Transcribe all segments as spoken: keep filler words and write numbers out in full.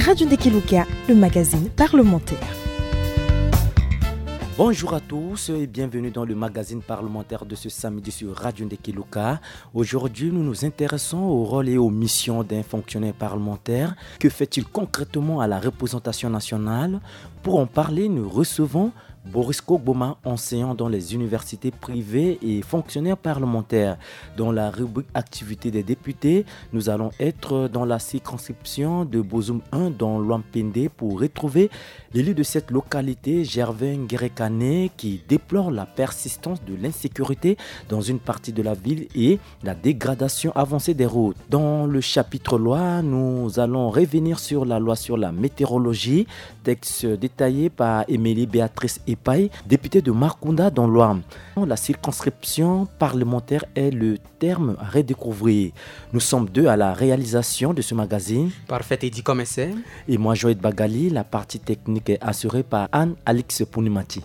Radio Ndekeluka, le magazine parlementaire. Bonjour à tous et bienvenue dans le magazine parlementaire de ce samedi sur Radio Ndekeluka. Aujourd'hui, nous nous intéressons au rôle et aux missions d'un fonctionnaire parlementaire. Que fait-il concrètement à la représentation nationale ? Pour en parler, nous recevons Boris Kogboma, enseignant dans les universités privées et fonctionnaire parlementaire. Dans la rubrique activité des députés, nous allons être dans la circonscription de Bozoum un dans l'Ouham-Pendé pour retrouver l'élu de cette localité, Gervais Ngerekane, qui déplore la persistance de l'insécurité dans une partie de la ville et la dégradation avancée des routes. Dans le chapitre loi, nous allons revenir sur la loi sur la météorologie, texte détaillé par Émilie Béatrice Epayi, députée de Markounda dans l'Ouham. La circonscription parlementaire est le terme à redécouvrir. Nous sommes deux à la réalisation de ce magazine. Parfait, Eddy Commissaire. Et moi, Joël Bagali, la partie technique est assurée par Anne Alix Punimati.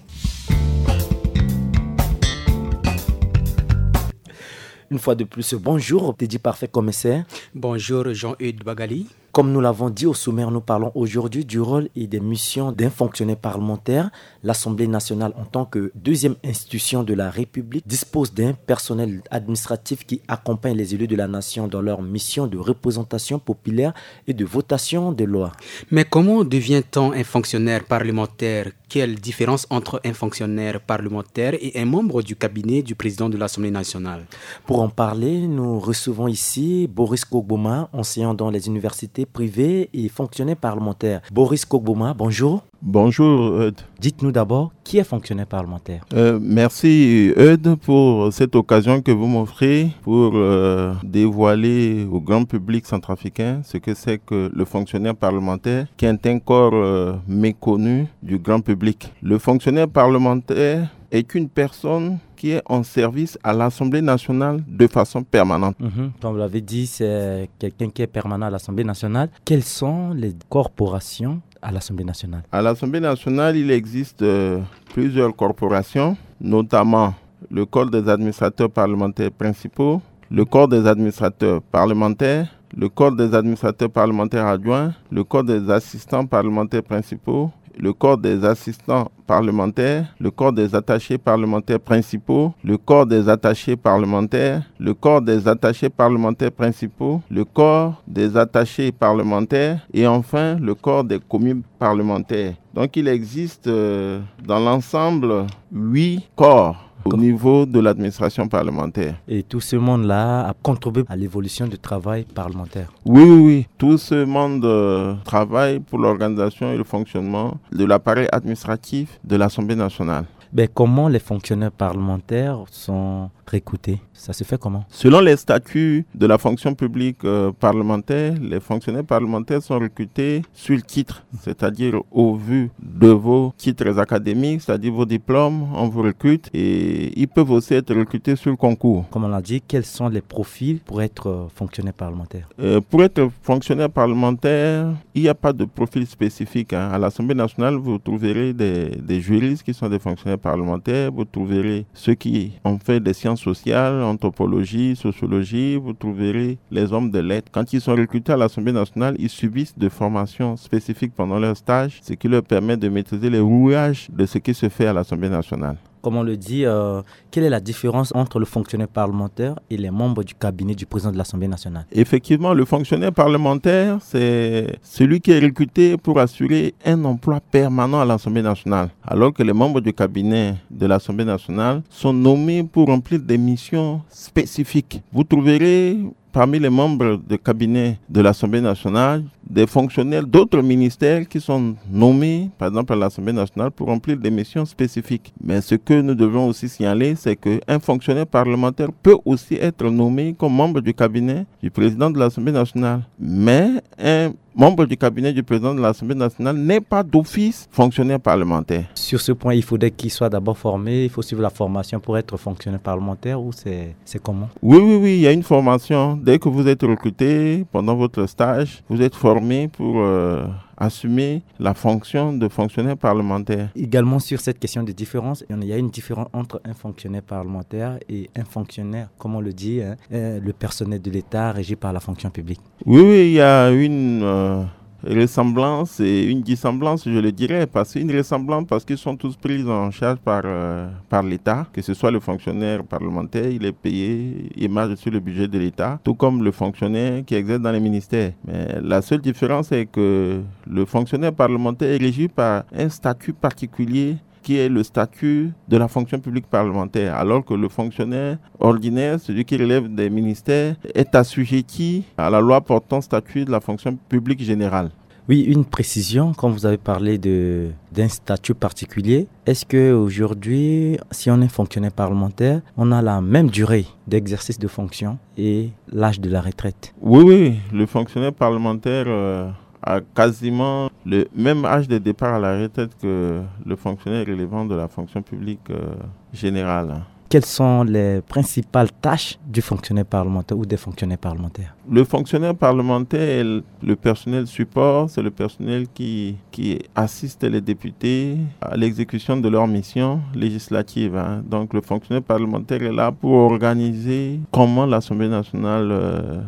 Une fois de plus, bonjour, Teddy Parfait Commissaire. Bonjour, Jean-Eudes Bagali. Comme nous l'avons dit au sommaire, nous parlons aujourd'hui du rôle et des missions d'un fonctionnaire parlementaire. L'Assemblée nationale, en tant que deuxième institution de la République, dispose d'un personnel administratif qui accompagne les élus de la nation dans leur mission de représentation populaire et de votation des lois. Mais comment devient-on un fonctionnaire parlementaire ? Quelle différence entre un fonctionnaire parlementaire et un membre du cabinet du président de l'Assemblée nationale ? Pour en parler, nous recevons ici Boris Kogboma, enseignant dans les universités privées et fonctionnaire parlementaire. Boris Kogboma, bonjour. Bonjour, Eudes. Dites-nous d'abord, qui est fonctionnaire parlementaire ? Euh, merci, Eudes, pour cette occasion que vous m'offrez pour, euh, dévoiler au grand public centrafricain ce que c'est que le fonctionnaire parlementaire, qui est un corps, euh, méconnu du grand public. Le fonctionnaire parlementaire est une personne qui est en service à l'Assemblée nationale de façon permanente. Mhm. Comme vous l'avez dit, c'est quelqu'un qui est permanent à l'Assemblée nationale. Quelles sont les corporations à l'Assemblée nationale ? À l'Assemblée nationale, il existe, euh, plusieurs corporations, notamment le corps des administrateurs parlementaires principaux, le corps des administrateurs parlementaires, le corps des administrateurs parlementaires adjoints, le corps des assistants parlementaires principaux, le corps des assistants parlementaires, le corps des attachés parlementaires principaux, le corps des attachés parlementaires, le corps des attachés parlementaires principaux, le corps des attachés parlementaires et enfin le corps des commis parlementaires. Donc il existe, euh, dans l'ensemble huit corps au niveau de l'administration parlementaire. Et tout ce monde-là a contribué à l'évolution du travail parlementaire. Oui, oui, oui. Tout ce monde, euh, travaille pour l'organisation et le fonctionnement de l'appareil administratif de l'Assemblée nationale. Ben, comment les fonctionnaires parlementaires sont recrutés ? Ça se fait comment ? Selon les statuts de la fonction publique, euh, parlementaire, les fonctionnaires parlementaires sont recrutés sur titre, c'est-à-dire au vu de vos titres académiques, c'est-à-dire vos diplômes, on vous recrute et ils peuvent aussi être recrutés sur concours. Comme on l'a dit, quels sont les profils pour être, euh, fonctionnaire parlementaire ? Euh, pour être fonctionnaire parlementaire, il n'y a pas de profil spécifique, hein. À l'Assemblée nationale, vous trouverez des, des juristes qui sont des fonctionnaires parlementaires, vous trouverez ceux qui ont fait des sciences sociales, anthropologie, sociologie, vous trouverez les hommes de lettres. Quand ils sont recrutés à l'Assemblée nationale, ils subissent des formations spécifiques pendant leur stage, ce qui leur permet de maîtriser les rouages de ce qui se fait à l'Assemblée nationale. Comme on le dit, euh, quelle est la différence entre le fonctionnaire parlementaire et les membres du cabinet du président de l'Assemblée nationale ? Effectivement, le fonctionnaire parlementaire, c'est celui qui est recruté pour assurer un emploi permanent à l'Assemblée nationale, alors que les membres du cabinet de l'Assemblée nationale sont nommés pour remplir des missions spécifiques. Vous trouverez parmi les membres de cabinet de l'Assemblée nationale des fonctionnaires d'autres ministères qui sont nommés, par exemple, à l'Assemblée nationale pour remplir des missions spécifiques. Mais ce que nous devons aussi signaler, c'est qu'un fonctionnaire parlementaire peut aussi être nommé comme membre du cabinet du président de l'Assemblée nationale. Mais un membre du cabinet du président de l'Assemblée nationale n'est pas d'office fonctionnaire parlementaire. Sur ce point, il faudrait qu'il soit d'abord formé, il faut suivre la formation pour être fonctionnaire parlementaire, ou c'est, c'est comment ? Oui, oui, oui, il y a une formation. Dès que vous êtes recruté pendant votre stage, vous êtes formé pour, euh, assumer la fonction de fonctionnaire parlementaire. Également sur cette question de différence, il y a une différence entre un fonctionnaire parlementaire et un fonctionnaire, comme on le dit, hein, euh, le personnel de l'État régi par la fonction publique. Oui, oui, il y a une, euh, ressemblance et une dissemblance, je le dirais, parce qu'une ressemblance parce qu'ils sont tous pris en charge par, euh, par l'État, que ce soit le fonctionnaire parlementaire, il est payé, il marche sur le budget de l'État, tout comme le fonctionnaire qui exerce dans les ministères. Mais la seule différence, c'est que le fonctionnaire parlementaire est régi par un statut particulier qui est le statut de la fonction publique parlementaire, alors que le fonctionnaire ordinaire, celui qui relève des ministères, est assujetti à la loi portant statut de la fonction publique générale. Oui, une précision, quand vous avez parlé de, d'un statut particulier, est-ce que aujourd'hui, si on est fonctionnaire parlementaire, on a la même durée d'exercice de fonction et l'âge de la retraite ? Oui, oui, le fonctionnaire parlementaire, euh, a quasiment le même âge de départ à la retraite que le fonctionnaire relevant de la fonction publique, euh, générale. Quelles sont les principales tâches du fonctionnaire parlementaire ou des fonctionnaires parlementaires ? Le fonctionnaire parlementaire est le, le personnel support, c'est le personnel qui, qui assiste les députés à l'exécution de leur mission législative, hein. Donc le fonctionnaire parlementaire est là pour organiser comment l'Assemblée nationale, euh,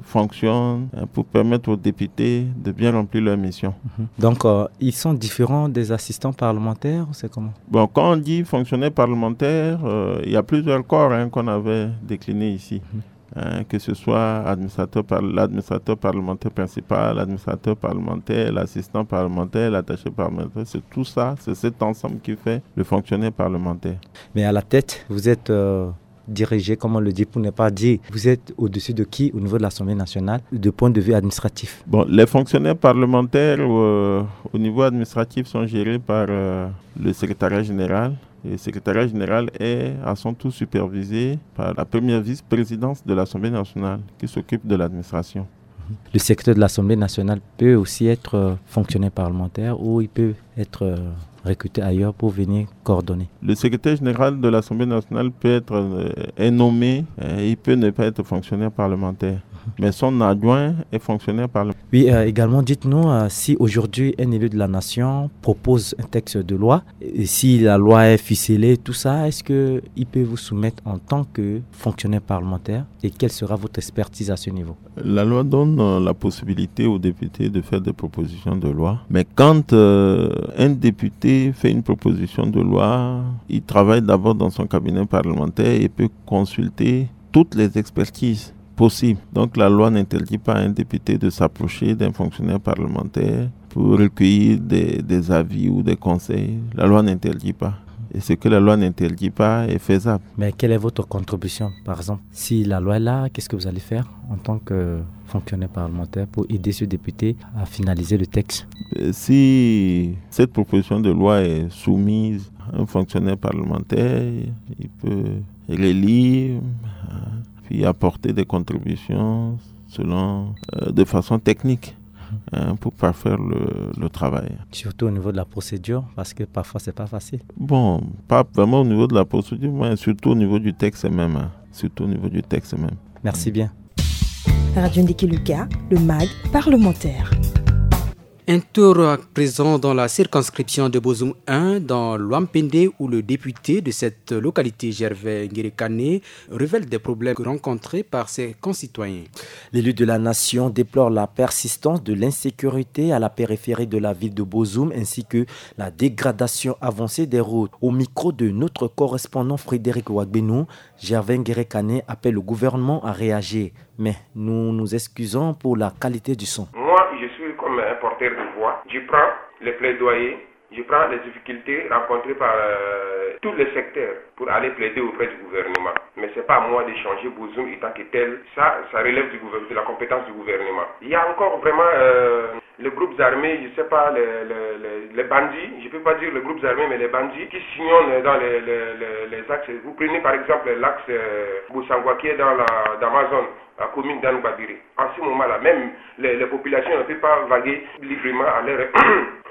fonctionne, euh, pour permettre aux députés de bien remplir leur mission. Mhm. Donc, euh, ils sont différents des assistants parlementaires, ou c'est comment ? Bon, quand on dit fonctionnaire parlementaire, euh, il y a plusieurs corps, hein, qu'on avait déclinés ici. Mhm. Hein, que ce soit administrateur par, l'administrateur parlementaire principal, l'administrateur parlementaire, l'assistant parlementaire, l'attaché parlementaire, c'est tout ça, c'est cet ensemble qui fait le fonctionnaire parlementaire. Mais à la tête, vous êtes, euh, dirigé, comme on le dit, pour ne pas dire, vous êtes au-dessus de qui au niveau de l'Assemblée nationale, de point de vue administratif ? Bon, les fonctionnaires parlementaires, euh, au niveau administratif sont gérés par, euh, le secrétariat général. Et le secrétariat général est à son tour supervisé par la première vice-présidence de l'Assemblée nationale qui s'occupe de l'administration. Le secrétaire de l'Assemblée nationale peut aussi être, euh, fonctionnaire parlementaire ou il peut être, euh, recruté ailleurs pour venir coordonner. Le secrétaire général de l'Assemblée nationale peut être, euh, est nommé, euh, il peut ne pas être fonctionnaire parlementaire. Mais son adjoint est fonctionnaire parlementaire. Oui, euh, également, dites-nous, euh, si aujourd'hui un élu de la nation propose un texte de loi, et si la loi est ficelée, tout ça, est-ce qu'il peut vous soumettre en tant que fonctionnaire parlementaire et quelle sera votre expertise à ce niveau ? La loi donne, euh, la possibilité aux députés de faire des propositions de loi. Mais quand, euh, un député fait une proposition de loi, il travaille d'abord dans son cabinet parlementaire et peut consulter toutes les expertises possibles. Donc la loi n'interdit pas à un député de s'approcher d'un fonctionnaire parlementaire pour recueillir des, des avis ou des conseils. La loi n'interdit pas. Et ce que la loi n'interdit pas est faisable. Mais quelle est votre contribution, par exemple ? Si la loi est là, qu'est-ce que vous allez faire en tant que fonctionnaire parlementaire pour aider ce député à finaliser le texte ? Euh, si cette proposition de loi est soumise à un fonctionnaire parlementaire, il peut relire, hein, puis apporter des contributions selon, euh, de façon technique, hein, pour parfaire le, le travail. Surtout au niveau de la procédure, parce que parfois, c'est pas facile. Bon, pas vraiment au niveau de la procédure, mais surtout au niveau du texte même, hein. Surtout au niveau du texte même. Merci bien. Radio Ndiki Luka, le mag parlementaire. Un tour à présent dans la circonscription de Bozoum un, dans l'Ouham-Pendé, où le député de cette localité, Gervais Ngerekane, révèle des problèmes rencontrés par ses concitoyens. L'élu de la nation déplore la persistance de l'insécurité à la périphérie de la ville de Bozoum ainsi que la dégradation avancée des routes. Au micro de notre correspondant Frédéric Wagbeno, Gervais Ngerekane appelle le gouvernement à réagir. Mais nous nous excusons pour la qualité du son. Moi, je suis comme un porteur de voix. Je prends les plaidoyers, je prends les difficultés rencontrées par, euh, tous les secteurs pour aller plaider auprès du gouvernement. Mais c'est pas à moi de changer Bozoum en tant que tel. Ça, ça relève du gouver-, de la compétence du gouvernement. Il y a encore vraiment, euh, les groupes armés, je sais pas, les, les, les, les bandits, je peux pas dire les groupes armés, mais les bandits qui sillonnent dans les, les, les, les axes. Vous prenez par exemple l'axe, euh, Bossangoa qui est dans la, dans ma zone, la commune d'Anne Babiré. En ce moment-là, même les, les populations ne peuvent pas vaguer librement à leur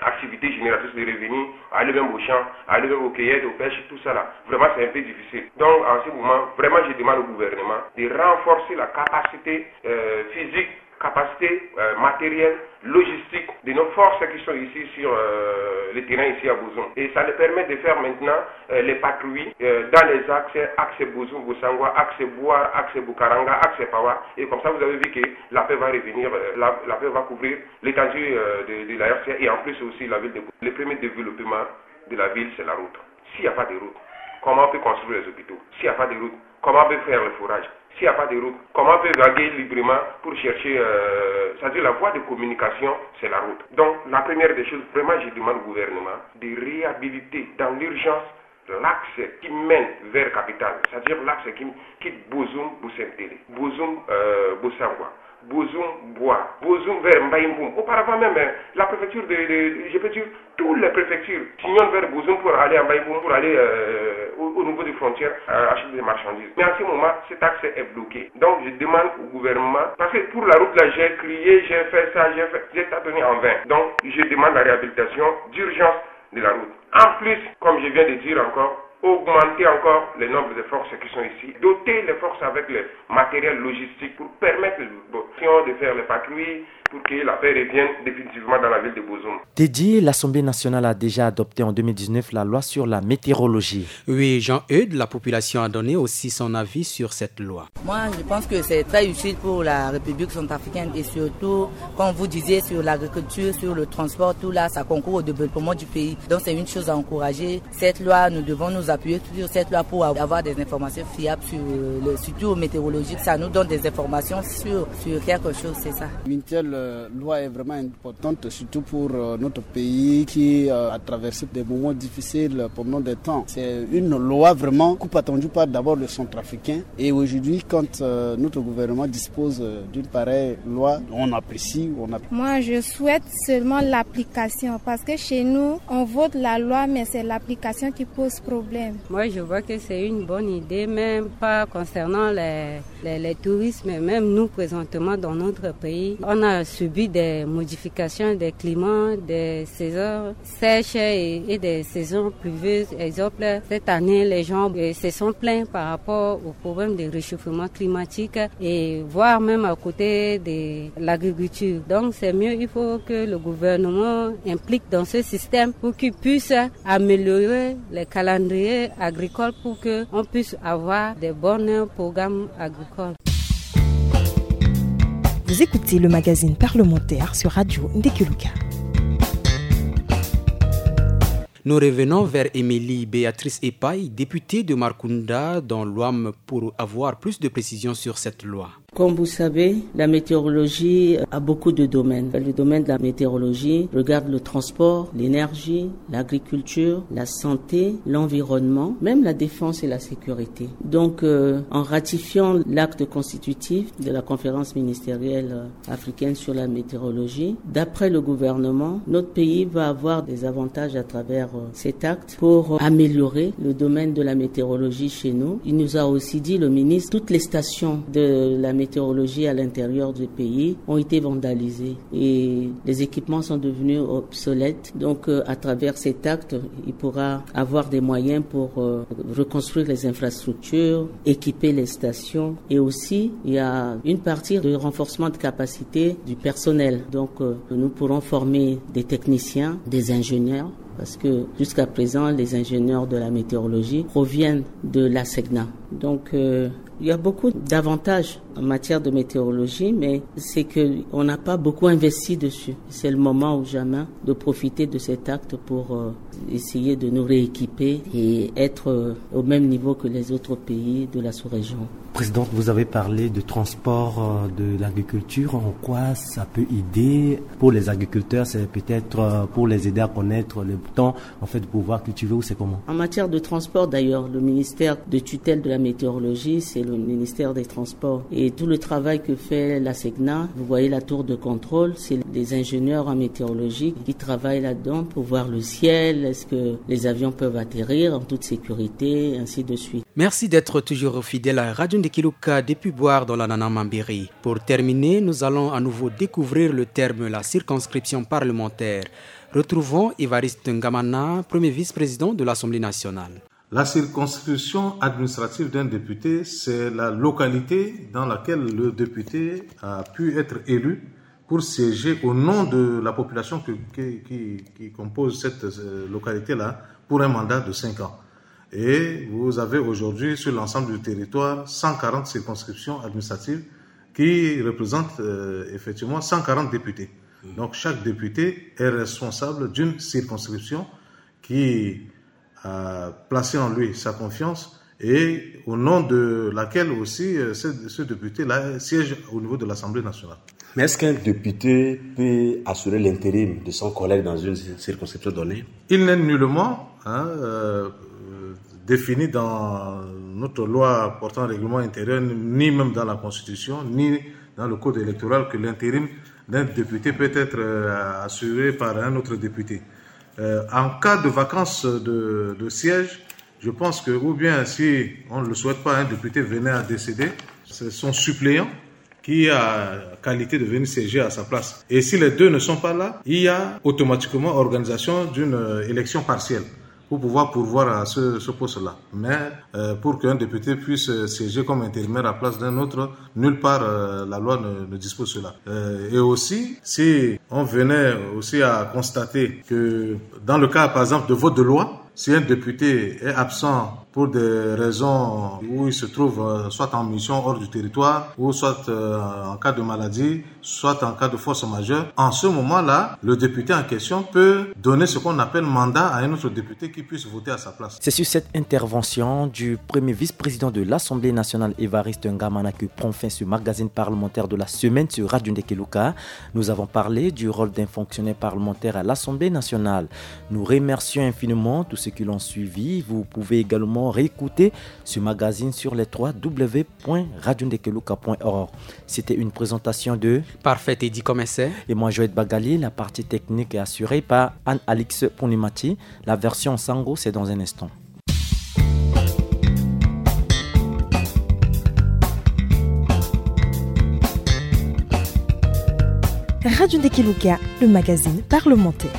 activité génératrice de revenus, aller même au champ, aller même aux cueillettes, aux pêches, tout ça là. Vraiment, c'est un peu difficile. Donc, en ce moment, vraiment, je demande au gouvernement de renforcer la capacité, euh, physique capacité, euh, matérielle, logistique de nos forces qui sont ici sur, euh, le terrain ici à Bozoum. Et ça les permet de faire maintenant, euh, les patrouilles, euh, dans les axes, axe Bozoum, Bossangoa, axe Bouar, axe Boukaranga, axe Pawa. Et comme ça, vous avez vu que la paix va revenir, euh, la, la paix va couvrir l'étendue, euh, de, de la R C A et en plus aussi la ville de Bozoum. Le premier développement de la ville, c'est la route. S'il n'y a pas de route, comment on peut construire les hôpitaux ? S'il n'y a pas de route, comment on peut faire le forage ? S'il n'y a pas de route, comment on peut vaguer librement pour chercher, euh, c'est-à-dire la voie de communication, c'est la route. Donc, la première des choses, vraiment, je demande au gouvernement de réhabiliter dans l'urgence l'axe qui mène vers capitale, c'est-à-dire l'axe qui quitte Bozoum, Bosentele, Bozoum, euh, Bossangoa, Bozoum, Bouar, Bozoum vers Mbaïmboum. Auparavant même, hein, la préfecture de, de, je peux dire, toutes les préfectures sillonnent vers Bozoum pour aller à Mbaïmboum, pour aller, euh, au, au niveau des frontières, euh, acheter des marchandises. Mais en ce moment, cet axe est bloqué. Donc, je demande au gouvernement, parce que pour la route là, j'ai crié, j'ai fait ça, j'ai fait, j'ai tâtonné en vain. Donc, je demande la réhabilitation d'urgence de la route. En plus, comme je viens de dire encore, augmenter encore le nombre de forces qui sont ici, doter les forces avec le matériel logistique pour permettre de faire les patrouilles, pour que la paix revienne définitivement dans la ville de Bozoum. Dédié, l'Assemblée nationale a déjà adopté en deux mille dix-neuf la loi sur la météorologie. Oui, Jean-Eudes, la population a donné aussi son avis sur cette loi. Moi, je pense que c'est très utile pour la République centrafricaine et surtout, comme vous disiez, sur l'agriculture, sur le transport, tout là, ça concourt au développement du pays. Donc, c'est une chose à encourager. Cette loi, nous devons nous appuyer sur cette loi pour avoir des informations fiables sur le, surtout météorologique. Ça nous donne des informations sur, sur quelque chose, c'est ça. Une telle, euh, loi est vraiment importante, surtout pour, euh, notre pays qui, euh, a traversé des moments difficiles pendant des temps. C'est une loi vraiment beaucoup attendue par d'abord le centrafricain. Et aujourd'hui, quand, euh, notre gouvernement dispose, euh, d'une pareille loi, on apprécie, on a... Moi, je souhaite seulement l'application, parce que chez nous, on vote la loi, mais c'est l'application qui pose problème. Moi, je vois que c'est une bonne idée, même pas concernant les, les, les touristes, mais même nous, présentement, dans notre pays, on a subi des modifications des climats, des saisons sèches et, et des saisons pluvieuses. Exemple, cette année, les gens, euh, se sont plaints par rapport au problème de réchauffement climatique et voire même à côté de l'agriculture. Donc, c'est mieux, il faut que le gouvernement implique dans ce système pour qu'il puisse améliorer les calendriers agricoles pour que on puisse avoir des bons programmes agricoles. Vous écoutez le magazine parlementaire sur Radio Ndekeluka. Nous revenons vers Émilie Béatrice Epayi, députée de Markounda dans l'Ouham, pour avoir plus de précisions sur cette loi. Comme vous savez, la météorologie a beaucoup de domaines. Le domaine de la météorologie regarde le transport, l'énergie, l'agriculture, la santé, l'environnement, même la défense et la sécurité. Donc, euh, en ratifiant l'acte constitutif de la conférence ministérielle, euh, africaine sur la météorologie, d'après le gouvernement, notre pays va avoir des avantages à travers, euh, cet acte pour améliorer le domaine de la météorologie chez nous. Il nous a aussi dit, le ministre, toutes les stations de la météorologie à l'intérieur du pays ont été vandalisées et les équipements sont devenus obsolètes. Donc, euh, à travers cet acte, il pourra avoir des moyens pour, euh, reconstruire les infrastructures, équiper les stations et aussi, il y a une partie de renforcement de capacité du personnel. Donc, euh, nous pourrons former des techniciens, des ingénieurs, parce que jusqu'à présent, les ingénieurs de la météorologie proviennent de l'ASECNA. Donc, euh, il y a beaucoup d'avantages en matière de météorologie, mais c'est que on n'a pas beaucoup investi dessus. C'est le moment ou jamais de profiter de cet acte pour, euh, essayer de nous rééquiper et être, euh, au même niveau que les autres pays de la sous-région. Présidente, vous avez parlé de transport, euh, de l'agriculture. En quoi ça peut aider pour les agriculteurs ? C'est peut-être, euh, pour les aider à connaître le temps, en fait, de pouvoir cultiver, ou c'est comment ? En matière de transport, d'ailleurs, le ministère de tutelle de la météorologie, c'est le ministère des Transports. Et tout le travail que fait l'ASECNA, vous voyez la tour de contrôle, c'est des ingénieurs en météorologie qui travaillent là-dedans pour voir le ciel, est-ce que les avions peuvent atterrir en toute sécurité, ainsi de suite. Merci d'être toujours fidèle à Radio Ndekeluka depuis Bouar dans l'Anana Mambéré. Pour terminer, nous allons à nouveau découvrir le terme la circonscription parlementaire. Retrouvons Évariste Ngamana, premier vice-président de l'Assemblée nationale. La circonscription administrative d'un député, c'est la localité dans laquelle le député a pu être élu pour siéger au nom de la population que- que- qui, qui compose cette euh, localité-là pour un mandat de cinq ans. Et vous avez aujourd'hui sur l'ensemble du territoire cent quarante circonscriptions administratives qui représentent euh, effectivement cent quarante députés. Donc chaque député est responsable d'une circonscription qui a placé en lui sa confiance et au nom de laquelle aussi euh, ce, ce député-là siège au niveau de l'Assemblée nationale. Mais est-ce qu'un député peut assurer l'intérim de son collègue dans une circonscription donnée ? Il n'est nullement hein, euh, défini dans notre loi portant règlement intérieur, ni même dans la Constitution, ni dans le code électoral que l'intérim d'un député peut être euh, assuré par un autre député. Euh, en cas de vacance de, de siège, je pense que, ou bien si on ne le souhaite pas, un député venait à décéder, c'est son suppléant qui a qualité de venir siéger à sa place. Et si les deux ne sont pas là, il y a automatiquement organisation d'une euh, élection partielle pour pouvoir pourvoir à ce, ce poste-là. Mais euh, pour qu'un député puisse euh, siéger comme intérimaire à place d'un autre, nulle part euh, la loi ne, ne dispose cela. Euh, et aussi, si on venait aussi à constater que dans le cas, par exemple, de vote de loi, si un député est absent pour des raisons où il se trouve euh, soit en mission hors du territoire ou soit euh, en cas de maladie, soit en cas de force majeure, en ce moment-là, le député en question peut donner ce qu'on appelle mandat à un autre député qui puisse voter à sa place. C'est sur cette intervention du premier vice-président de l'Assemblée nationale, Évariste Ngamana, que prend fin ce magazine parlementaire de la semaine sur Radio Ndekeluka. Nous avons parlé du rôle d'un fonctionnaire parlementaire à l'Assemblée nationale. Nous remercions infiniment tous ceux qui l'ont suivi. Vous pouvez également réécouter ce magazine sur les trois W point radio ndekeluka point org. C'était une présentation de Parfait Teddy Comesset. Et moi, Joël Bagali. La partie technique est assurée par Anne-Alix Ponimati. La version Sango, c'est dans un instant. Radio Ndekeluka, le magazine parlementaire.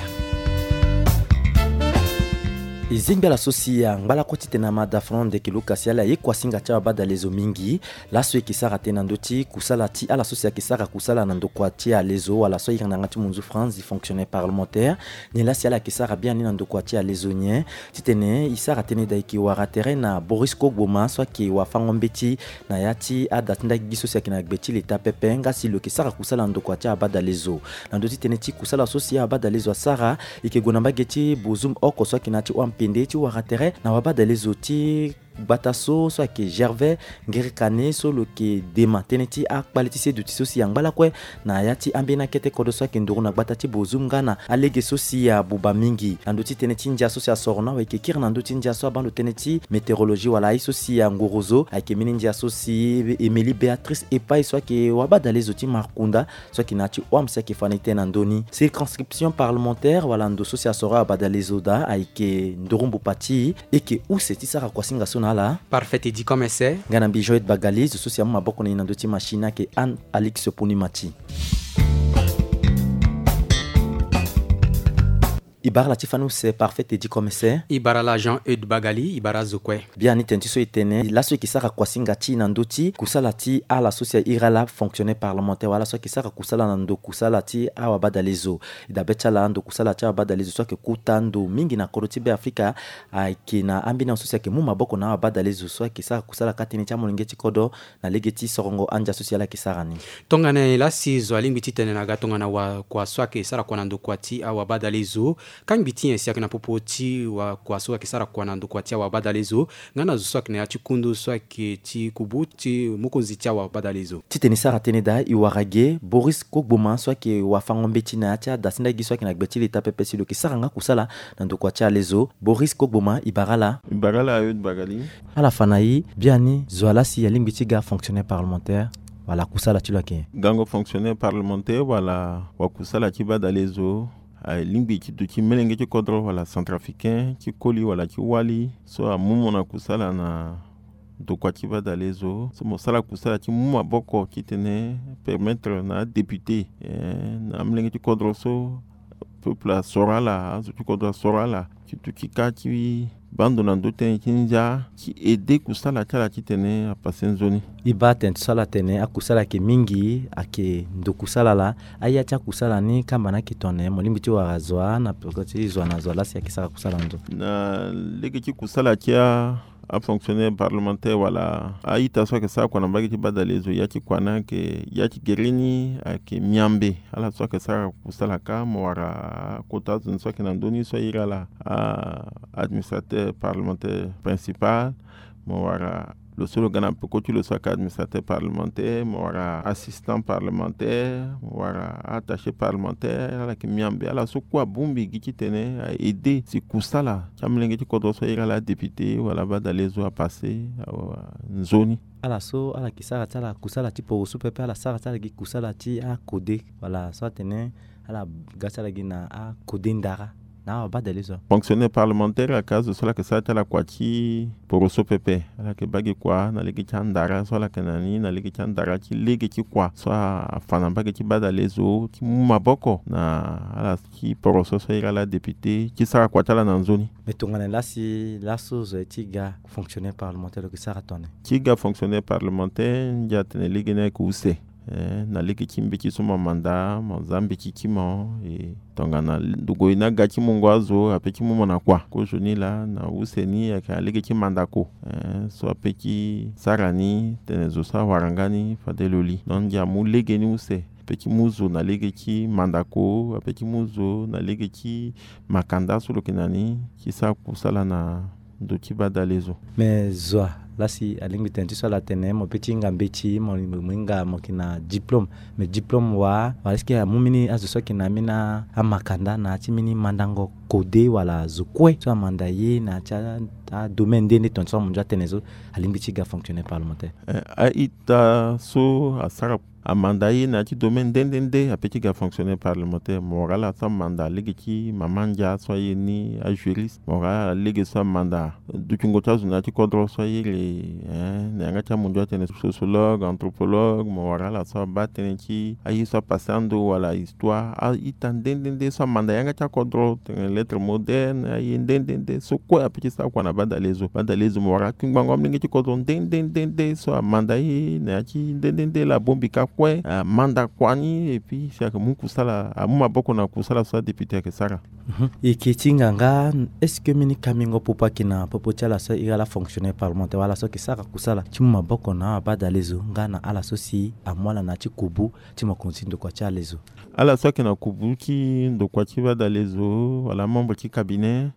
E zengbi ala so si angba lakue titene ama da fran Ndekeluka si ala ye kuasinga ti awabadalezo mingi. Laso e yeke sara tënë na ndö ti kusala ti ala so si ayeke sara kusala na ndokua ti alezo wala so ayeke na yanga ti munzu France, fonctionnaire parlementaire. Nyen laa si ala yeke sara biani na ndokua ti alezo nyen? Titene e sara tënë daa e yeke wara tere na Boris Kogboma so ayeke wafango-mbeti na ya ti ada ti ndagigi so si ayeke na gbe ti leta pepe nga si lo yeke sara kusala na ndokua ti awabadalezo. Na ndö ti tënë ti kusala so si awabadalezo asara, e yeke gue na mbage ti Bozoum oko so ayeke na ya ti hon-ampende ti wara tere na awabadalezo ti gbata so so ayeke Gervais Ngerekane so lo yeke dema tënë ti akpale ti seduti so si angba lakue na ya ti ambeni akete kodro so ayeke nduru na gbata ti Bozoum nga na alege so si abuba mingi. Na ndö ti tënë ti ndia so si asoro na awe e yeke kiri na ndö ti ndia so abaa ndo tënë ti météorologie wala aye so si angorozo ayeke mbeni ndia so si Émilie Béatrice Epai so ayeke wabadalezo ti Markunda so ayeke na ya ti hon-ame si ayeke fa ni tënë na ndö ni. Circonscription parlementaire wala ndo so si asoro awabadalezo daa ayeke nduru mbupa ti e. E yeke use ti sara kuasinga so na ala. Parfait Teddy Comesset. Nga na mbi Joël Bagali, zo so si amu maboko na e na ndö ti machine ayeke Anne Alix Ponimati. E bara ala ti fani use Parfait Teddy Comesset. E bara ala Jean Eude Bagali, e bara azo kue. Biani tene ti so e tene laso e yeke sara kuasinga ti e na ndö ti kusala ti ala so si a iri ala fonctionnaire parlementaire wala so ayeke sara kusala na ndo kusala ti awabadalezo. E dabe ti ala ndo kusala ti awabadalezo so ayeke kuta ndo mingi na kodro ti Beafrika ayeke na ambeni ahon so si ayeke mu maboko na awabadalezo so ayeke sara kusala kâ tënë ti amolenge ti kodro na lege ti sorongo andia so si ala yeke sara ni. Tongana nyen laa si zo alingbi titene na ga tongana wakua so ayeke sara kua na ndokua ti awabadalezo? Kangbi ti nyen si ayeke na popo ti wakua so ayeke sara kua na ndokua ti awabadalezo nga na zo so ayeke na ya ti kundu so ayeke ti kubu ti mokonzi ti awabadalezo? Titene e sara tënë daa e wara ge Boris Kogboma so ayeke wafango-mbeti na ya ti ada ti ndagigi so ayeke na gbe ti leta pepe si lo yeke sara nga kusala na ndokua ti alezo. Boris Kogboma, e bara ala. E bara ala Eude Bagali. Ala fa na e, biani zo wa laa si alingbi ti ga fonctionnaire parlementaire wala kusala ti lo ayeke nyen? Gango fonctionnaire parlementaire wala wakusala ti badalezo alingbi ti duti melenge ti kodro wala centrafricain ti koli wala ti wali so amu mo na kusala na ndokua ti badalezo so mo sara kusala ti mu maboko titene permettre na adéputé eh, na amelenge ti kodro so peuple asoro ala, azo ti kodro asoro ala ti duti kâ ti baa ndo na ndö tënë ti ndia ti aidé kusala ti ala titene apassé nzoni. E baa tene so ala tene akusala ayeke mingi, ayeke ndo kusala laa. Aya ti akusala ni kamba ni ayeke tongana nyen? Mo lingbi ti wara zo wa na peko ti zo wa na zo wa laa si ayeke sara kusala ndo. Na lege ti kusala ti a afonctionnaire parlementaire wala a-ita so ayeke sara kua na mbage ti badalezo, ya ti kua ni ayeke, ya ti gere ni ayeke miambe. Ala so ayeke sara kusala kâ, mo wara akota azo ni so ayeke na ndö ni so a iri ala a-administrateur parlementaire principal, mo wara lo so lo ga na peko ti lo so ayeke administrateur parlementaire, mo wara assistant parlementaire, mo wara attaché parlementaire. Ala yeke miambe. Ala so kue abongbi gi titene a-aidé si kusala ti amolenge ti kodro so a iri ala adéputé wala abadalezo apassé, awa, nzoni. Ala so ala yeke sara ti ala kusala ti poroso pepe, ala sara ti ala gi kusala ti akode wala so atene ala ga ti ala gi na akode ndara na awa badalezo. Fonctionnaire parlementaire ayeke azo so ala yeke sara ti ala kua ti poroso pepe. Ala yeke baa gi kua na lege ti andara so ala yeke na ni, na lege ti andara ti lege ti kua so afa na mbage ti badalezo ti mu maboko na ala ti poroso so a iri ala adéputé ti sara kua ti ala na nzoni. Me tongana nyen laa si laso zo ye ti ga fonctionnaire parlementaire lo yeke sara tongana nyen? Ti ga fonctionnaire parlementaire, ndia atene lege ni ayeke use. Eh, na lege ti mbeti so mo manda, mo za mbeti ti mo, e tongana ndogo ye ni aga ti mungo azo, ape ti mu mo na kua. Kozoni laa na use ni ayeke na lege ti mandako, eh, so ape ti sara ni tene zo so awara nga ni fade lo li. Donc ndia amu lege ni use. Ape ti mu zo na lege ti mandako, ape ti mu zo na lege ti makanda so lo yeke na ni ti sara kusala na ndo ti badalezo. Me zo wa laa si alingbi tene ti so ala tene mo pe ti hinga mbeti, mo, mo hinga mo yeke na diplôme. Me diplôme wa, wala est-ce que amu mbeni azo so ayeke na mbeni amakanda na ya ti mbeni mandango kode wala zo kue so amanda ye na ya ti a, adomaine nde nde tongana ti so amondio atene so alingbi ti ga fonctionnaire parlementaire? Eh, a-ita so asara amanda ye na ya ti domaine nde nde nde ape ti ga fonctionnaire parlementaire. Mo wara ala so amanda lege ti mama ndia so aye ni ajuriste. Mo wara ala lege so amanda dutingo ti azo na ya ti kodro so aye le, eh, na yanga ti amundio atene sociologue, anthropologue. Mo wara ala so abaa tënë ti aye so apassé ando wala histoire. A-ita nde nde nde so amanda yanga ti akodro, tene lettres modernes, aye nde nde nde so kue ape ti sara kua na badalezo. Badalezo mo wara akingbango amolenge ti kodro nde nde nde nde so amanda ye na ya ti nde nde nde laa abongbi kâ kue, amanda kua ni, et puis si ayeke mu kusala, amu maboko na kusala so adéputé ayeke sara. Mhm. E yeke ti hinga nga, est-ce que mbeni kambingo popo ayeke na popo ti ala so a iri ala fonctionnaire parlementaire wala ala so ayeke sara kusala ti mu maboko na abadalezo nga na ala so si amu ala na ya ti kubu ti mokonzi ti ndokua ti alezo? Ala so ayeke na kubu ti ndokua ti badalezo wala amembre ti cabinet,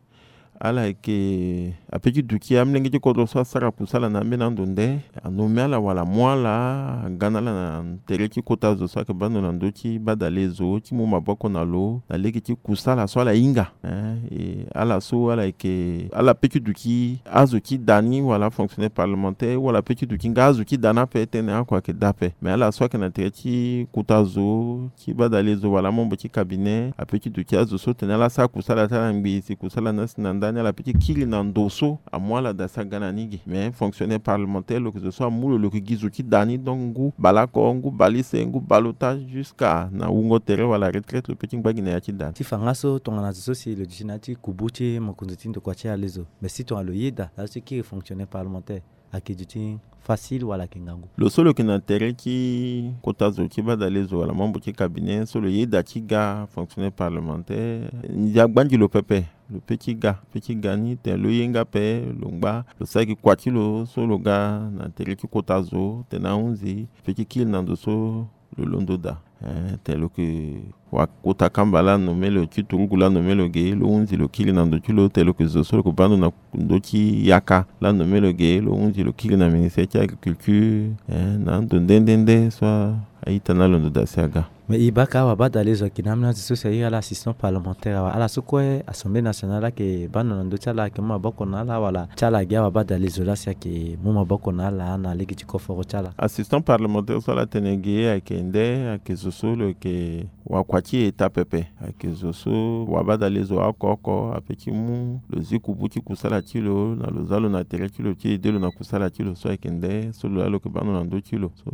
ala yeke ape ti duti amolenge ti kodro so asara kusala na ambeni ando nde, anommé ala wala amu ala, aga na ala na tere ti kota zo so ayeke baa ndo na ndö ti badalezo ti mu maboko na lo na lege ti kusala so ala hinga. Eh, e ala so ala yeke, ala pe ti duti azo ti da ni wala afonctionnaire parlementaire, wala pe ti duti nga azo ti da ni ape, tënë oko ayeke da ape. Me ala so ayeke na tere ti kota zo ti badalezo wala amembre ti cabinet ape ti duti azo so tene ala sara kusala ti ala ngbii, si kusala ni asi na ndani, ala pe ti kiri na ndo so amu ala daa si aga na ni ge. Me fonctionnaire parlementaire lo yeke zo so amu lo, lo yeke gi zo ti da ni, donc ngu baleoko, ngu baleuse, ngu ballottage, jusqu'à na wungo tere wala retraite, lo pe ti ngba gi na ya ti da ni. Ti fa nga so tongana zo so si lo duti na ya ti kubu ti mokonzi ti ndokua ti alezo, me si tongana lo yeda na ya ti kiri fonctionnaire parlementaire, ayeke duti facile wala ayeke ngangu? Lo so lo yeke na tere ti kota zo ti badalezo wala membre ti cabinet so lo yeda ti ga fonctionnaire parlementaire, ndia gbandi lo pepe. Lo pe ti ga, pe ti ga ni tene lo ye nga ape, lo ngba, lo sara gi kua ti lo so lo ga na tere ti kota zo tene ahunzi, pe ti kiri na ndo so lo londo daa. Eh, tene lo yeke wa kota kamba laa anommé lo ti turugu laa anommé lo ge, lo hunzi lo kiri na ndo ti lo, tene lo yeke zo so lo yeke baa ndo na ndo ti yaka laa anommé lo ge, lo hunzi lo kiri na ministère ti agriculture, eh, na ando nde nde nde so a, a-ita ni alondo daa si aga. Me e baa ka awa badalezo ayeke na ambeni azo so si a iri ala assistant parlementaire awe, ala so kue Assemblée nationale ayeke baa ndo na ndö ti ala, ayeke mu maboko na ala wala ti ala ge awa badalezo laa si ayeke mu maboko na ala na lege ti koforo ti ala? Assistant parlementaire so ala tene ge ayeke nde, ayeke zo so lo yeke wakua ti eta pepe. Ayeke zo so wabadale zo oko oko ape ti mu lo zi kubu ti kusala ti lo na lo za lo na tere ti lo ti ede lo na kusala ti lo so ayeke nde so lo laa lo yeke baa ndo na ndö ti lo. So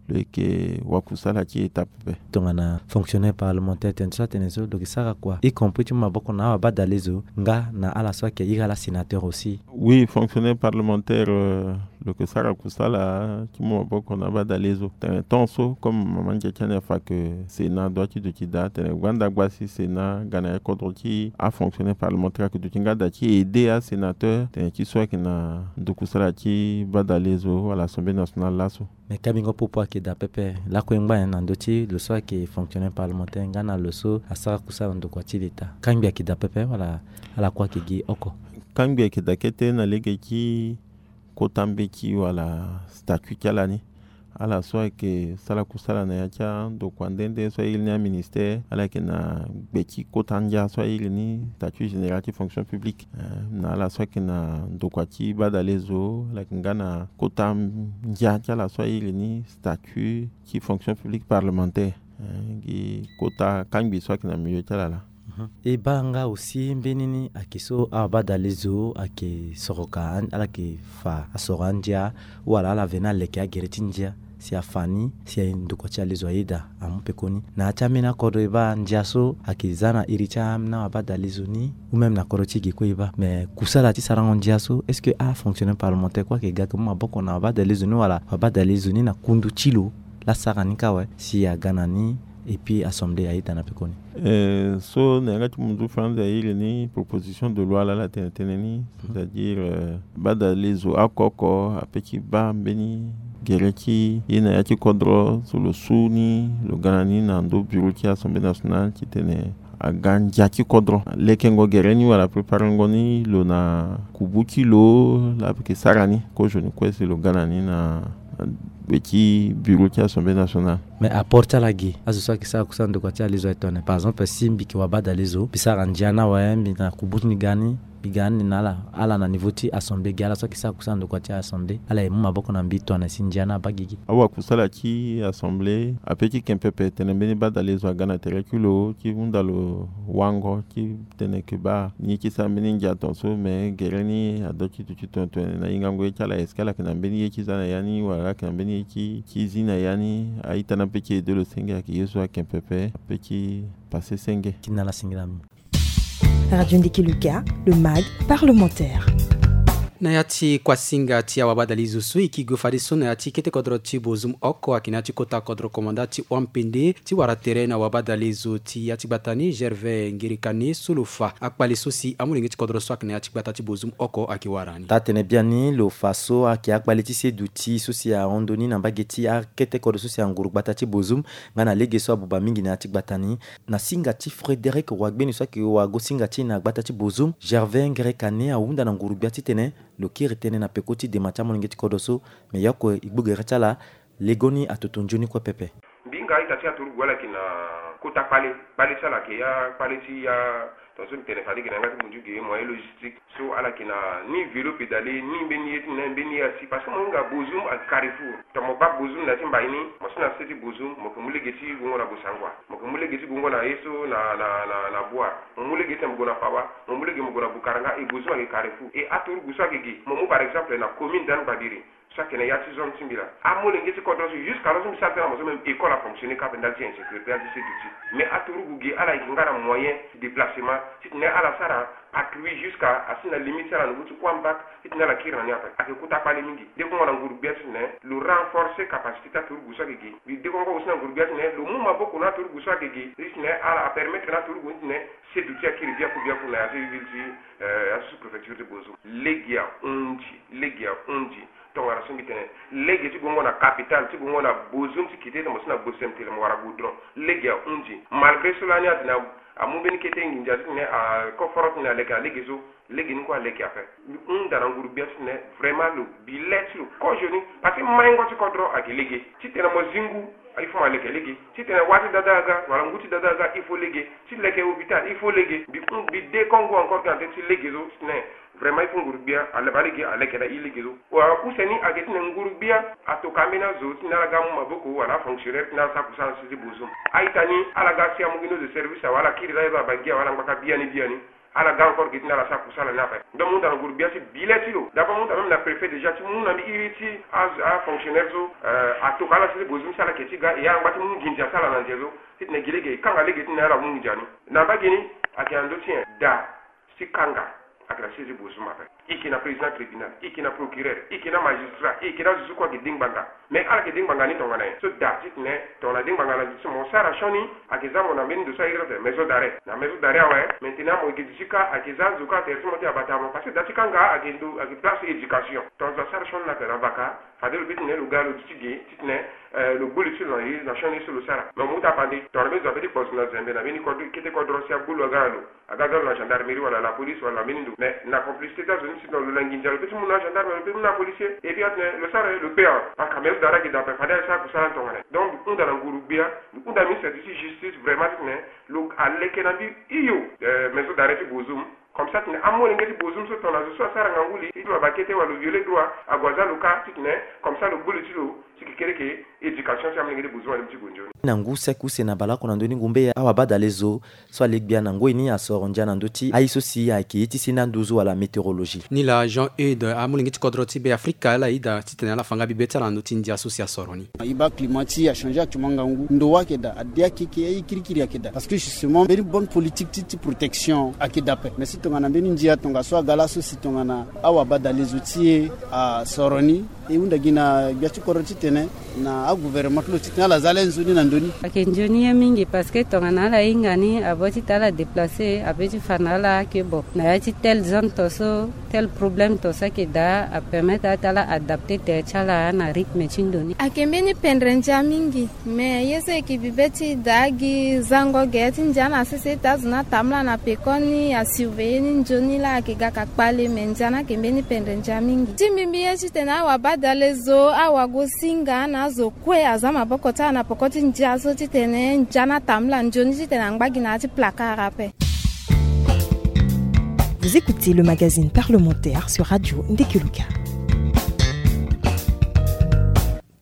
lo yeke wakusala ti eta pepe. Tongana fonctionnaire parlementaire tene so atene so lo yeke sara kua, y compris ti mu maboko na awabadale zo nga na ala so ayeke iri ala sénateur aussi. Oui, fonctionnaire parlementaire, euh, lo yeke sara kusala ti mu maboko na abadale zo. Tene temps so comme mama ndia ti ani afa ke Sénat doit ti duti daa, tene gbanda gba si Sénat ga na ya kodro ti afonctionnaire parlementaire ayeke duti nga daa ti aider asénateur tene ti so ayeke na ndukusala ti badale zo wala Assemblée nationale laso. Me kambingo popo ayeke daa pepe lakue ngba nyen na ndö ti lo so ayeke fonctionnaire parlementaire nga na lo so asara kusala na ndokua ti leta? Kangbi ayeke daa pepe wala ala kue ayeke gi oko? Kangbi ayeke daa kete na lege ti kota mbeti wala statut ti ala ni. Ala so ayeke sara kusala na ya ti andokua nde nde so airi ni aministère, ala yeke na gbe ti kota ndia so airi ni statut général ti fonction publique. Eh, na ala so ayeke na ndokua ti badale zo, ala yeke nga na kota ndia ti ala so airi ni statut ti fonction publique parlementaire. Eh, gi kota kangbi so ayeke na milieu ti ala laa. Mhm. E baa nga aussi mbeni ni ayeke so awabadale zo ayeke soroka an-, ala yeke fa asoro andia wala ala veni aleke agere ti ndia si afa ni si ndokua ti ale zo ayeda amu pekoni. Na ya ti ambeni akodro e baa ndia so ayeke za na iri ti ambeni awabadale zo ni ou même na kodro ti e ge kue e baa. Mais kusala ti sarango ndia so, est-ce que afonctionnaire parlementaire kue ayeke ga ayeke mu maboko na wabadale zo ni wala wabadale zo ni na kundu ti lo laa asara ni kâ awe si aga na ni et puis assemblée ayeda na pekoni? Eh, so na yanga ti munzu franzi airi ni proposition de loi laa ala tene tënë ni, c'est-à-dire, euh, badale zo oko oko ape ti baa mbeni gere ti ye na ya ti kodro so lo su ni lo ga na ni na ndo bureau ti Assemblée nationale titene aga ndia ti kodro. Lekengo gere ni wala préparengo ni lo na kubu ti lo laa ayeke sara ni kozoni kue si lo ga na ni na gbe ti bureau ti Assemblée nationale. Mais apport ti ala ge, azo so ayeke sara kusala ndokua ti ale zo aye tongana, par exemple, si mbi yeke wabadale zo, mbi sara ndia ni awe, mbi na kubu ti mbi ga ni, mbi ga ni na ala, ala na niveau ti assemblée ge, ala so ayeke sara kusala ndokua ti assemblée, ala ye mu maboko na mbi tongana si ndia ni abaa ge ge. Awakusala ti assemblée ape ti ken pepe tene mbeni badale zo aga na tere ti lo ti hunda lo wango ti tene ke baa ni ye ti sara mbeni ndia tongaso, me gere ni adoit ti duti tongana tongana na hingango ye ti ala, est-ce que ala yeke na mbeni ye ti za na ya ni wala ala yeke na mbeni ye ti, ti zi na ya ni? A-ita ni ape ti ede lo senge ayeke ye so ayeke pepe ape ti pase senge. Ti na ala singila mingi. Radio Ndiki Luka, le mag parlementaire. Na ya ti kuasinga ti awabadale zo so e ke gi fadeso na ya ti kete kodro ti Bozoum oko ayeke na ya ti kota kodro komanda ti Wampende ti wara tere na wabadale zo ti ya ti gbata ni, Gervais Ngerekane, so lo fa akpale so si amolenge ti kodro so ayeke na ya ti gbata ti Bozoum oko ayeke wara ni. Taa-tene biani lo fa so ayeke akpale ti se duti so si ahon ndoni na mbage ti akete kodro so si anguru gbata ti Bozoum nga na lege so abuba mingi na ya ti gbata ni. Na singa ti Frédéric Wagbeni so ayeke wago-singa ti e na gbata ti Bozoum, Gervais Ngerekane ahunda na nguru-gbia titene lo kiri tënë na peko ti dema ti amolenge ti kodro so, me e oko e gbu gere ti ala, legoni atoto nzoni kue pepe. Mbi hinga a-ita ti aturugu ala yeke na kota kpale, kpale ti ala ayeke ya kpale ti ya, tongaso mbi tene fade ge na yanga ti munzu ge, moyen logistique. So ala yeke na ni vélo pédalé, ni mbeni ye ti na mbeni ye asi, parce que mo hinga Bozoum ayeke carrefour. Tongana mo baa Bozoum na ya ti mbai ni, mo si na se ti Bozoum, mo yeke mu lege ti gongo na Bossangoa, mo yeke mu lege ti gongo na ye so na, na, na, na Bouar, mo mu lege ti mo gue na Pawa, mo mu lege mo gue na Boukaranga, et Bozoum ayeke carrefour. Et aturugu so ayeke ge, mo mu par exemple na commune d'Anne Babiri, so ayeke na ya ti zone ti mbi laa. Amolenge ti kodro so, jusqu'à là so mbi sara tënë na mo so, même école afonctionné kâ ape ndali ti insécurité, ndali ti sécurité. Mais aturugu ge ala yeke nga na moyen ti déplacement titene ala sara patrouille jusqu'à asi na limite ti ala na niveau ti Kouambak, titene ala kiri na ni ape. Ayeke kota kpale mingi. Dekongo na nguru-gbia titene lo renforcer capacité ti aturugu so ayeke ge. Mbi dekongo aussi na nguru-gbia titene lo mu maboko na aturugu so ayeke ge, titene ala apermettre na aturugu ni titene se duti akiri biaku biaku na ya so e ville ti, eh, ya so sous-préfecture ti Bozoum. Lege ahunzi, lege ahunzi. Tongana so mbi tene, lege ti gongo na capitale, ti gongo na Bozoum ti kite ti mo si na Bosem tele mo wara goudron. Lege ahunzi. Malgré cela ni atene amu mbeni kete nginza titene akoforo titene aleke na lege so, lege ni kue aleke ape. Mbi hunda na nguru-gbia titene vraiment lo bi le ti lo kozoni, parce que maingo ti kodro ayeke lege. Titene mo zi ngu, il faut mo aleke lege. Titene wâ ti dada aga wala ngu ti dada aga, il faut lege. Ti leke hôpital, il faut lege. Mbi hon-, mbi dekongo encore tena tënë ti lege so titene Vraiment, il faut nguru-gbia alaba lege, aleke na e lege so. Wa use ni ayeke ti tene nguru-gbia atoka ambeni azo ti tene ala ga amu maboko wala afonctionnaire ti tene ala sara kusala na sese Bozoum. A-ita ni ala ga si amu gi ni zo service awe, ala kiri laa e zo abangi awe, ala ngbaka biani biani. Ala ga encore gi ti tene ala sara kusala ni ape. Donc, mu hunda na nguru-gbia ti bi le ti lo. D'abord, mu hunda même na préfet déjà ti mu na mbi iri ti a, afonctionnaire so, euh, atoka ala sese Bozoum si ala yeke ti ga, e ala ngba ti mu nginza ti ala na nze so. Ti tene gi lege e kanga lege ti tene ala mu nginza ni. Na mbage ni, ayeke na ndö ti nyen? Da ti kanga ayeke na sese Bozoum ape. E yeke na président tribunal, e yeke na procureur, e yeke na magistrat, e yeke na azo so kue ayeke de ngbanga. Mais ala yeke de ngbanga ni tongana nyen? So da ti tene tongana de ngbanga na ndö ti mo sara sioni, ayeke za mo na mbeni ndo so a iri ti tene maison d'arrêt. Na maison d'arrêt awe, maintenant mo yeke duti kâ, ayeke za azo kâ atere ti mo ti abata mo. Parce que da ti kanga ayeke ndo, ayeke place éducation. Tongana zo asara sioni na, na vaka, fade lo peut ti tene lo ga lo duti ge, ti tene, euh, lo gbu li ti lo na ye, na sioni so lo sara. Mais mo mu tapande, tongana mbeni zo apeut ti kpozo na zembe na mbeni kodro, kete kodro si agbu lo aga na lo. Aga ga lo na gendarmerie wala la police wala na mbeni ndo. Mais na complicité ti azo ni, si tongana lo na nginza lo peut ti mu na agendarme, lo peut ti mu na apolicier. Et puis atene lo sara, lo peut en. Parce que maison d'arrêt ayeke da ape, fade asara kusala ni tongana nyen? Donc mbi hunda na nguru-gbia, mbi hunda ministre ti justice vraiment ti tene lo aleke na mbi hio, euh, maison d'arrêt ti Bozoum. Comme ça ti tene amolenge ti Bozoum so tongana zo so asara ngangu li ti lo abakete wala lo violer droit, ague aza lo kâ ti tene comme ça lo gbu li ti lo ti kekereke éducation ti amolenge ti Bozoum ade mu ti gue nzoni. Na ngu sek use na bale oko na ndö ni ngumbe awabadalezo so ale gbia na ngoi ni asoro ndia na ndö ti aye so si ayeke ye ti senda nduzu wala météorologie. Ni laa Jean Eudes, amolenge ti kodro ti Be Afrika, ala yeda ti tene ala fa nga bibe ti ala na ndö ti ndia so si asoro ni. E baa climat ti e achangé actuellement ngangu. Ndo ayeke daa, ade akeke, aye kirikiri ayeke daa. Parce que justement mbeni bonne politique ti, ti protection ayeke daa ape. Mais si tongana mbeni ndia tongaso aga laso si tongana awabadalezo ti e asoro ni, e hunda gi na gbia ti kodro ti tene na agouvernement ti lo ti tene ala za le nzoni na ndö ni. Ayeke nzoni ye mingi parce que tongana ala hinga ni, avant ti tene ala déplacer, apeut ti fa na ala ake bon, na ya ti telle zone to so, tel problème to so ayeke daa, apermettre ala ti ala adapter tere ti ala na rythme ti ndo ni. Ayeke mbeni pendre ndia mingi. Mais ye so e yeke bibe ti daa gi zango gere ti ndia na sese ti azo ni atambula na peko ni, asurveiller ni nzoni laa ayeke ga ka kpale, mais ndia ni ayeke mbeni pendre ndia mingi. Ti mbi mbi ye ti tene awabadalezo, awagosinga na azo kue aza maboko ti ala na peko ti ndia so ti tene ndia ni atambula nzoni ti tene angba gi na ya ti placard ape. Vous écoutez le magazine parlementaire sur Radio Ndekeluka.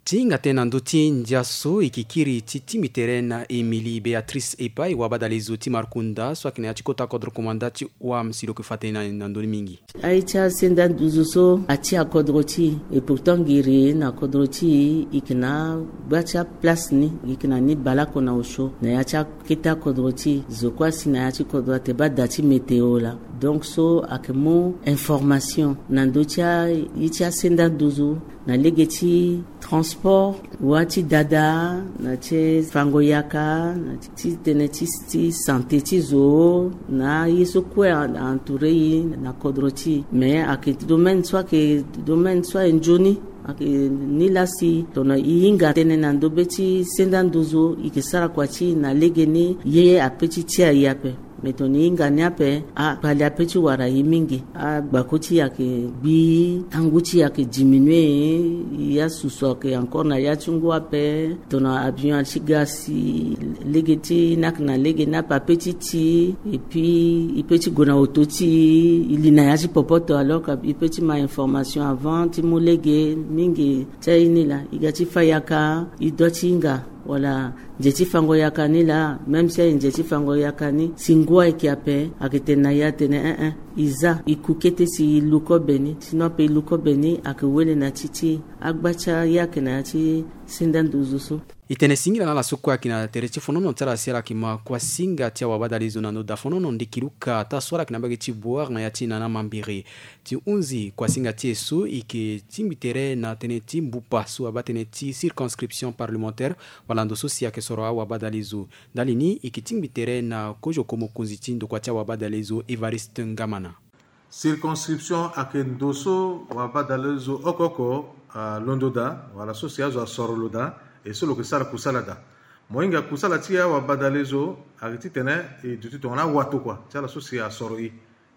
Ti hinga tënë na ndö ti ndia so e yeke kiri ti tingbi tere na Émilie Béatrice Epai, wabadalezo ti Markunda so ayeke na ya ti kota kodro komanda ti O A M si lo yeke fa tënë na, na ndö ni mingi. Aye ti asenda nduzu so ati akodro ti e, et pourtant ngiri na kodro ti e, e yeke na gba ti aplace ni, e yeke na ni baleoko na osio na ya ti akete akodro ti e. Zo kue asi na ya ti kodro ate baa da ti météo laa. Donc so ayeke mu information na ndö ti aye ti asenda nduzu na lege ti transport, wâ ti dada, na ti fango yaka, na ti, ti tënë ti, ti santé ti zo, na aye so kue a, a entourer e na kodro ti e. Mais ayeke domaine so ayeke, domaine so ayeke nzoni. Ayeke ni laa si tongana e hinga tënë na ndö be ti senda nduzu, e yeke sara kua ti e na legeni ye apeut ti tia e ape. Mais tongana e hinga ni ape, akpale apeut ti wara e mingi. Agbako ti e ayeke gbi, tangu ti e ayeke diminuer, e asusu ayeke encore na ya ti ngu ape. Tongana avion ati ga si lege ti ni ayeke na lege ni ape apeut ti ti, et puis e peut ti gue na oto ti e, e li na ya ti popoto, alors que e peut ti ma information avant ti mu lege mingi. Ti aye ni laa e ga ti fa yaka, e dua ti hinga wala nze ti fango yaka ni laa, même si aye nze ti fango yaka ni, si ngu ayeke ape, ayeke tene na e atene, eh, eh, e za, e ku kete si e lu kobe ni, sinon ape e lu kobe ni, ayeke wele na ti ti agba ti aye ayeke na ya ti senda nduzu so. E tene singila na ala so kue ayeke na tere ti fonono ti ala si ala yeke ma kuasinga ti awabadalezo na ndo da fonono ndiki luka taa so ala yeke na mbage ti Bouar na ya ti Nana Mambéré. Ti hunzi kuasinga ti e so e yeke tingbi tere na tënë ti mbupa so abaa tënë ti circonscription parlementaire, wala ndo so si ayeke soro awabadalezo. Ndali ni e yeke tingbi tere na kozoko mokonzi ti ndokua ti awabadalezo Évariste Ngamana. Circonscription ayeke ndo so wabadalezo oko oko alondo daa, wala so si azo asoro lo daa, e so lo yeke sara kusala daa. Mo hinga kusala ti awabadalezo ayeke titene e duti tongana awatokua ti ala so si asoro e.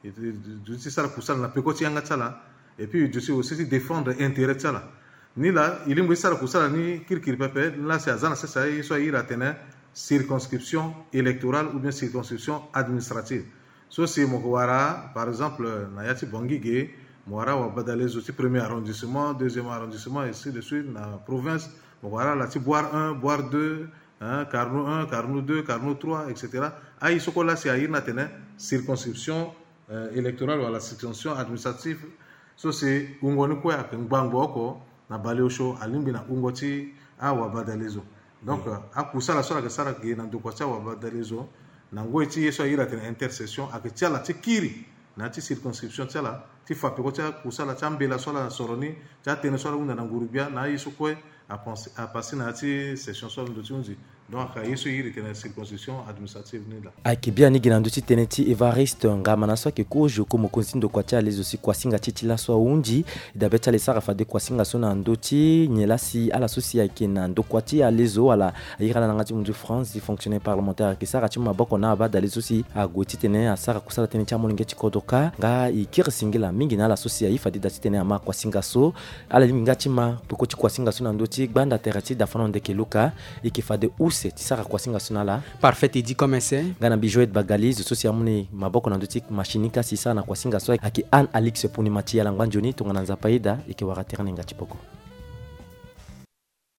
E, e, e duti ti sara kusala na peko ti yanga ti ala. Et puis e duti aussi ti défendre intérêt ti ala. Ni laa e lingbi ti sara kusala ni kirikiri pepe, ni laa si aza na sese aye so a iri atene circonscription électorale ou bien circonscription administrative. So si mo ko wara par exemple na ya ti Bangui ge, mo wara wabadalezo ti premier arrondissement, deuxième arrondissement, ainsi de suite na province. Mo ko wara ala ti Bouar un, Bouar deux, hein, Carnot un, Carnot deux, Carnot trois, et cetera. Aye so kue la si a iri na tene circonscription électorale wala circonscription administrative. So si wungo ni kue ayeke ngbangbo oko na baleosio alingbi na wungo ti awabadalezo. Donc akusala so ala yeke sara ge na ndokua ti awabadalezo na ngoi ti ye so a iri atene intersession ayeke ti ala ti kiri na ya ti circonscription ti ala ti fa peko ti akusala ti ambela so ala soro ni, ti atënë so ala hunda na nguru-gbia na aye so kue. Apasé na ya ti session so alondo ti hunzi. Donc ayeke ye so e iri tene circonscription administrative ni laa. Ayeke biani gi na ndö ti tënë ti Évariste Ngamana so ayeke kozo ko mokonzi ti ndokua ti alezo si kuasinga ti e ti laso ahunzi. Dabe ti ala e sara fade kuasinga so na ndö ti nyen laa si ala so si ayeke na ndokua ti alezo wala a iri ala na yanga ti munzu France ti fonctionnaire parlementaire ayeke sara ti maboko na abadalezo so si ague titene asara kusala tënë ti amolenge ti kodro kâ. Nga e kiri singila mingi na ala so si a ye fade da titene ama kuasinga so. Ala lingbi nga ti ma peko ti kuasinga so na ndö ti gbanda tere ti Dafano Ndeke Luka. E yeke fade use ti sara kuasinga so na ala. Parfait, e di comme ese. Nga na mbi Joël Bagali zo so si amu ni maboko na ndö ti machine ni ka si e sara na kuasinga so ayeke Anne Alix Punima ti ala ngba nzoni tongana Nzapa ayeda e yeke wara tere ni nga ti poko.